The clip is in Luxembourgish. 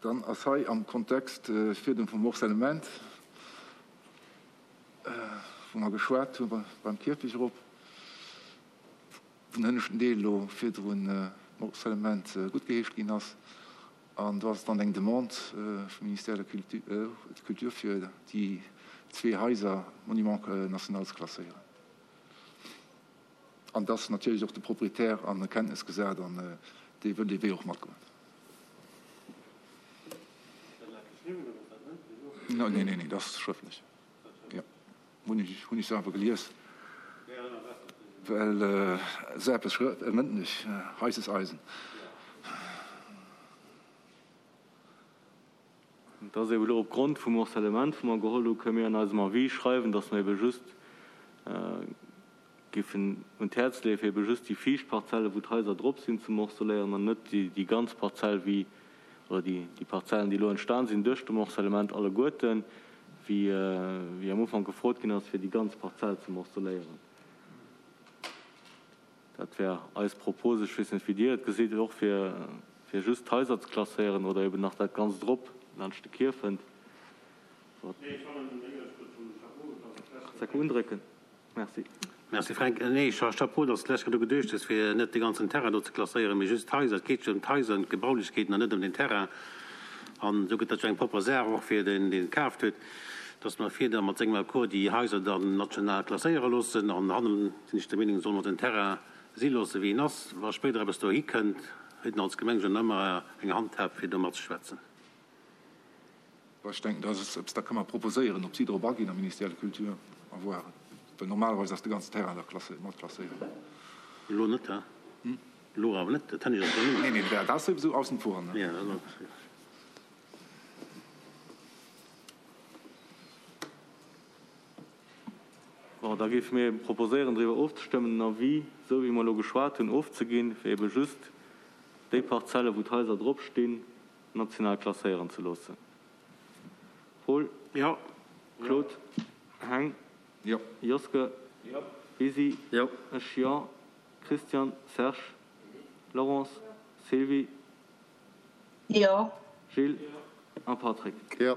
Dann ass hei am Kontext virdrun vum Morcellement, wou mer geschwat hu beim Kierfecht erop, wou den hënneschten Deel elo virdrun Morcellement guttgeheescht ginn ass, an do ass dann eng Demande vum Ministère de la Culture fir déi zwee Haiser Monument national ze klasséieren. An et ass natierlech och de Proprietär an Kenntnes gesat an dee wëll dee Wee och matgoen. Nee, nee, nee, dat ass schrëftlech. Jo, hunn ech, hunn ech selwer gelies. Well esou eppes schrë-, mëndlech, heisses Eisen. Et ass ebe elo opgrond vum Morcellement, wou mer geholl hu, kënne mir an eisem Avis schreiwen, dass mer ebe just géifen un d'Häerz leeë fir ebe just déi viischt Parzelle, wou d'Haiser drop sinn, ze morceléieren an net déi ganz Parzell wéi, oder déi Parzellen, déi elo entstan sinn duerch de Morcellement alleguerten, wéi am Ufank gefrot ginn ass, fir déi ganz Parzell ze morceléieren. Dat wär eis Propos. Ech weess net, wéi Dir et gesitt, och fir just d'Haiser ze klasséieren oder eben nach dat Ganzt drop laanscht de Kierfent. Undrécken. Merci. Merci Fränk. Nee, Chapeau, dass de lech grad u geduecht hues, fir net de ganzen Terrain do ze klasséieren, mee just d'Haiser. Et geet jo ëm d'Haiser, ëm d'Gebaulechkeeten an net ëm den Terrain. An esou gëtt dat jo eng propper Saach och fir deen, deen et kaaft huet, dass mer fir da mat sengem Accord déi Haiser dann national klasséiere loossen. An hannen sinn ech der Meenung, solle mer den Terrain si loosse wéi en ass. Wa spéider eppes dohi kënnt, huet en als Gemeng jo nach ëmmer eng Handhab fir do matzeschwätzen. Bon, ech denken, dat ass eppes, dat ka mer proposéieren. Ob si drop aginn am Ministère de la Culture, à voir. Well normalerweis ass de ganzen Terrain da mat klasséiert. Elo net, he? Elo awer net, dat hënnescht ass elo net. Nee, nee, dat ass souwisou aussen vor, ne? Ja, dat ass. Bon, da géife mir eben proposéieren, driwwer ofzestëmmen, den Avis, esou wéi mer elo geschwat hunn, ofzeginn, fir ebe just déi Parzelle, wou d'Haiser drop stinn, national klasséieren ze loossen. Paul? Jo. Claude? Heng? Jo. Joske? Jo. Lisi? Jo. Ech jo. Christian, Serge, Laurence, Sylvie. Jo. Gilles a Patrick. Jo.